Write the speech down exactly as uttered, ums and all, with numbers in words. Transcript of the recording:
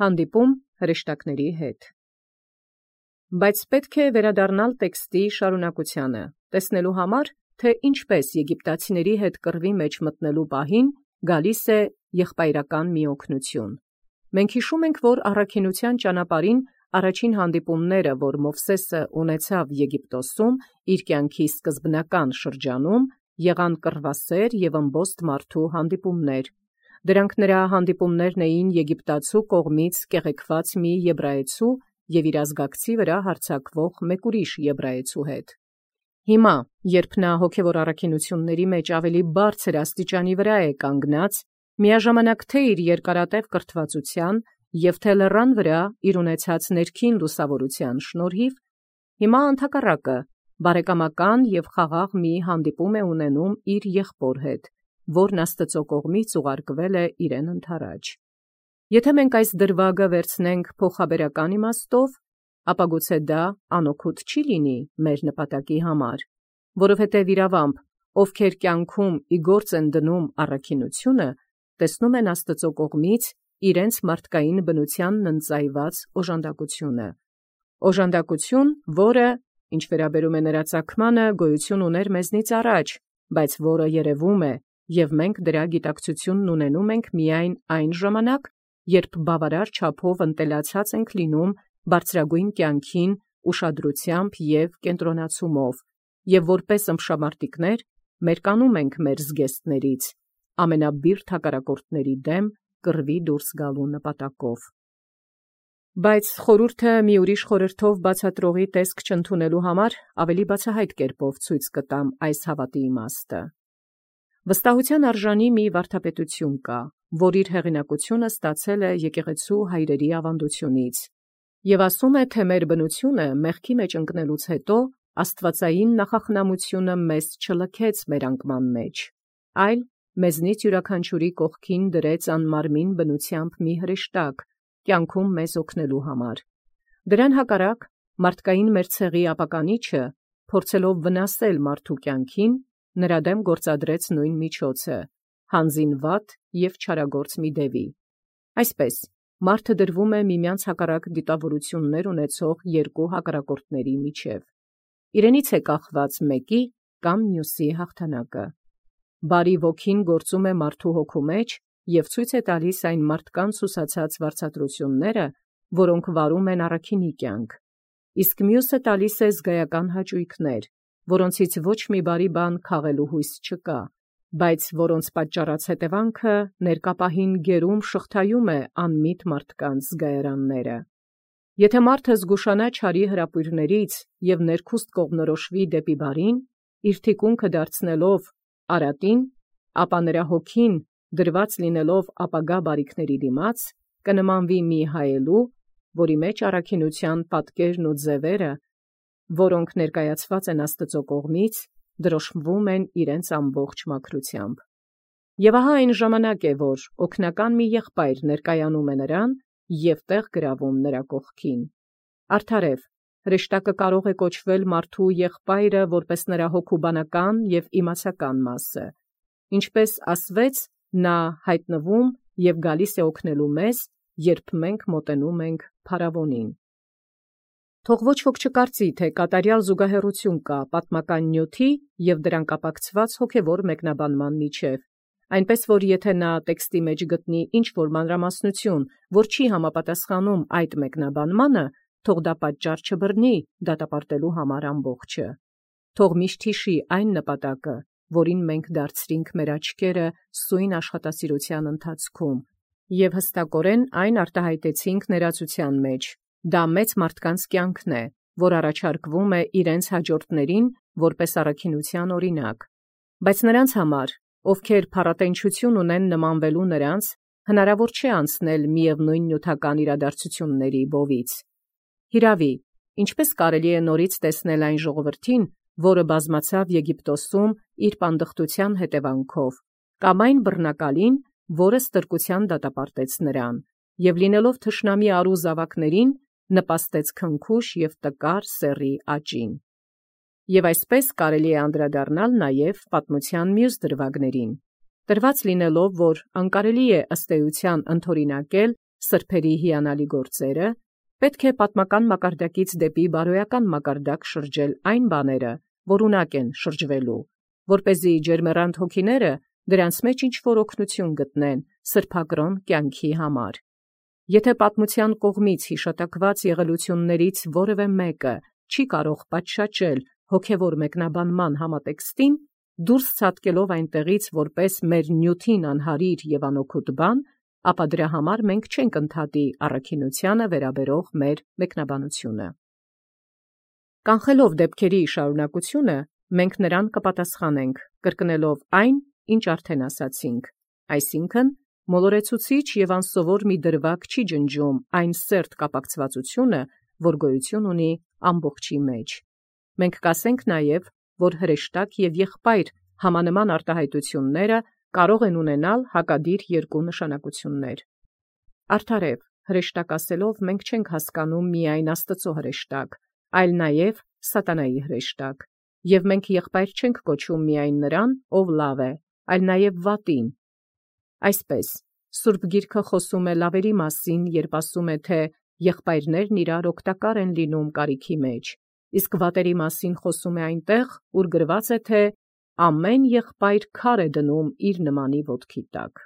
Հանդիպում հրեշտակների հետ։ Բայց պետք է վերադառնալ տեքստի շարունակությանը, տեսնելու համար, թե ինչպես եգիպտացիների հետ կռվի մեջ մտնելու պահին գալիս է եղբայրական մի օգնություն։ Մենք հիշում ենք, որ առաքինության ճանապարհին առաջին հանդիպումները, որ Մովսեսը ունեցավ Եգիպտոսում իր կյանքի սկզբնական շրջանում, եղան կռվասեր եւ ըմբոստ մարդու հանդիպումներ։ Դրանք նրա հանդիպումներն էին եգիպտացու կողմից կեղեքված մի եբրայեցու եւ իր ազգակցի վրա հարձակվող մեկ ուրիշ եբրայեցու հետ։ Հիմա, երբ նա հոգևոր առաքինությունների մեջ ավելի բարձր աստիճանի վրա է կանգնած, միաժամանակ թե իր երկարատև կրթվածության եւ թե լեռան վրա իր ունեցած ներքին լուսավորության շնորհիվ, հիմա ընդհակառակը բարեկամական եւ խաղաղ մի հանդիպում է ունենում իր եղբոր հետ, որն Աստծո կողմից ուղարկվել է իրեն ընթരാճ։ Եթե մենք այս դրվագը վերցնենք փոխաբերական իմաստով, ապա գուցե դա անօգուտ չի լինի մեր նպատակի համար, որովհետև իրավամբ, ովքեր կյանքում ի գործ են դնում առաքինությունը, տեսնում են Աստծո կողմից իրենց մարդկային բնությանն ընծայված օժանդակությունը։ Օժանդակություն, որը, ինչ վերաբերում է նրա ծագմանը, գոյություն ուներ մեզնից առաջ, բայց որը երևում է, եւ մենք դրա գիտակցությունն ունենում ենք միայն այն ժամանակ, երբ բավարար չափով ընտելացած ենք լինում բարձրագույն կյանքին ուշադրությամբ եւ կենտրոնացումով, եւ որպես ըմբշամարտիկներ մերկանում ենք մեր զգեստներից, ամենաբիրտ հակառակորդների դեմ կռվի դուրս գալու նպատակով։ Բայց խորհուրդը մի ուրիշ խորհրդով բացատրողի տեսք չընդունելու համար ավելի բացահայտ կերպով ցույց կտամ այս հավատի իմաստը։ Վստահության արժանի մի վարդապետություն կա, որ իր հեղինակությունը ստացել է եկեղեցու հայրերի ավանդությունից, եւ ասում է, թե մեր բնությունը մեղքի մեջ ընկնելուց հետո աստվածային նախախնամությունը մեզ չլքեց մեր անկման մեջ, այլ մեզնից յուրաքանչյուրի կողքին դրեց անմարմին բնությամբ մի հրեշտակ, կյանքում մեզ օգնելու համար։ Դրան հակառակ, մարդկային մեր ցեղի ապականիչը, փորձելով վնասել մարդու կյանքին, նրա դեմ գործադրեց նույն միջոցը, հանձին վատ եւ չարագործ մի դևի։ Այսպես, մարդը դրվում է միմյանց հակառակ դիտավորություններ ունեցող երկու հակառակորդների միջև։ Իրենից է կախված մեկի կամ մյուսի հաղթանակը։ Բարի ոգին գործում է մարդու հոգու մեջ եւ ցույց է տալիս այն մարդկանց ուսացած վարձատրությունները, որոնք վարում են առաքինի կյանք, իսկ մյուսը տալիս է զգայական հաճույքներ, որոնցից ոչ մի բարի բան քաղելու հույս չկա, բայց որոնց պատճառած հետևանքը ներկա պահին գերում շղթայում է անմիտ մարդկանց զգայարանները։ Եթե մարդը զգուշանա չարի հրապույրներից եւ ներքուստ կողմնորոշվի դեպի բարին, իր թիկունքը դարձնելով արատին, ապա նրա հոգին, դրված լինելով ապագա բարիքների դիմաց, կնմանվի մի հայելու, որի մեջ առաքինության պատկերն ու ձևերը, որոնք ներկայացված են Աստծո կողմից, դրոշմվում են իրենց ամբողջ մաքրությամբ։ Եվ ահա այն ժամանակ է, որ օգնական մի եղբայր ներկայանում է նրան եւ տեղ գրավում նրա կողքին։ Արդարև, հրեշտակը կարող է կոչվել մարդու եղբայրը որպես նրա հոգուբանական եւ իմացական մասը։ Ինչպես ասվեց, նա հայտնվում եւ գալիս է օգնելու մեզ, երբ մենք մոտենում ենք փարավոնին։ Թող ոչ ոք չկարծի, թե կատարյալ զուգահեռություն կա պատմական նյութի եւ դրան կապակցված հոգևոր մեկնաբանման միջև, այնպես որ եթե նա տեքստի մեջ գտնի ինչ-որ մանրամասնություն, որ չի համապատասխանում այդ մեկնաբանմանը, թող դա պատճառ չբռնի դատապարտելու համար ամբողջը։ Թող միշտ հիշի այն նպատակը, որին մենք դարձրինք մեր աչքերը սույն աշխատասիրության ընթացքում, եւ հստակորեն այն արտահայտեցինք ներածության մեջ։ Դա մեծ մարդկանց կյանքն է, որ առաջարկվում է իրենց հաջորդներին որպես առաքինության օրինակ։ Բայց նրանց համար, ովքեր փառատենչություն ունեն նմանվելու նրանց, հնարավոր չէ անցնել միևնույն նյութական իրադարձությունների բովից։ Հիրավի, ինչպես կարելի է նորից տեսնել այն ժողովրդին, որը բազմացավ Եգիպտոսում իր պանդխտության հետևանքով, կամ այն բռնակալին, որը ստրկության դատապարտեց նրան, եւ լինելով թշնամի արու զավակներին, նպաստեց քնքուշ եւ տկար սեռի աճին։ Եվ այսպես կարելի է անդրադառնալ նաեւ պատմության մյուս դրվագներին, տրված լինելով, որ անկարելի է ըստ էության ընդօրինակել սրբերի հիանալի գործերը, պետք է պատմական մակարդակից դեպի բարոյական մակարդակ շրջել այն բաները, որ ունակ են շրջվելու, որպեսզի ջերմեռանդ հոգիները դրանց մեջ ինչ-որ օգնություն գտնեն սրբակրոն կյանքի համար։ Եթե պատմության կողմից հիշատակված եղելություններից որևէ մեկը չի կարող պատշաճել հոգևոր մեկնաբանման համատեքստին, դուրս ցատկելով այնտեղից որպես մեր նյութին անհարիր և անօգուտ բան, ապա դրա համար մենք չենք ընդհատի առաքինությանը վերաբերող մեր մեկնաբանությունը։ Կանխելով դեպքերի շարունակությունը, մենք նրան կպատասխանենք, կրկնելով այն, ինչ արդեն ասացինք, այսինքն մոլորեցուցիչ և անսովոր մի դրվագ չի ջնջում այն սերտ կապակցվածությունը, որ գոյություն ունի ամբողջի մեջ։ Մենք կասենք նաև, որ հրեշտակ և եղբայր համանման արտահայտությունները կարող են ունենալ հակադիր երկու նշանակություններ։ Արդարև, հրեշտակ ասելով մենք չենք հասկանում միայն Աստծո հրեշտակ, այլ նաև սատանայի հրեշտակ, և մենք եղբայր չենք կոչում միայն նրան, ով լավ է, այլ նաև վատին։ Այսպես, Սուրբ Գիրքը խոսում է լավերի մասին, երբ ասում է, թե եղբայրներն իրար օգտակար են լինում կարիքի մեջ, իսկ վատերի մասին խոսում է այնտեղ, ուր գրված է, թե ամեն եղբայր քար է դնում իր նմանի ոտքի տակ։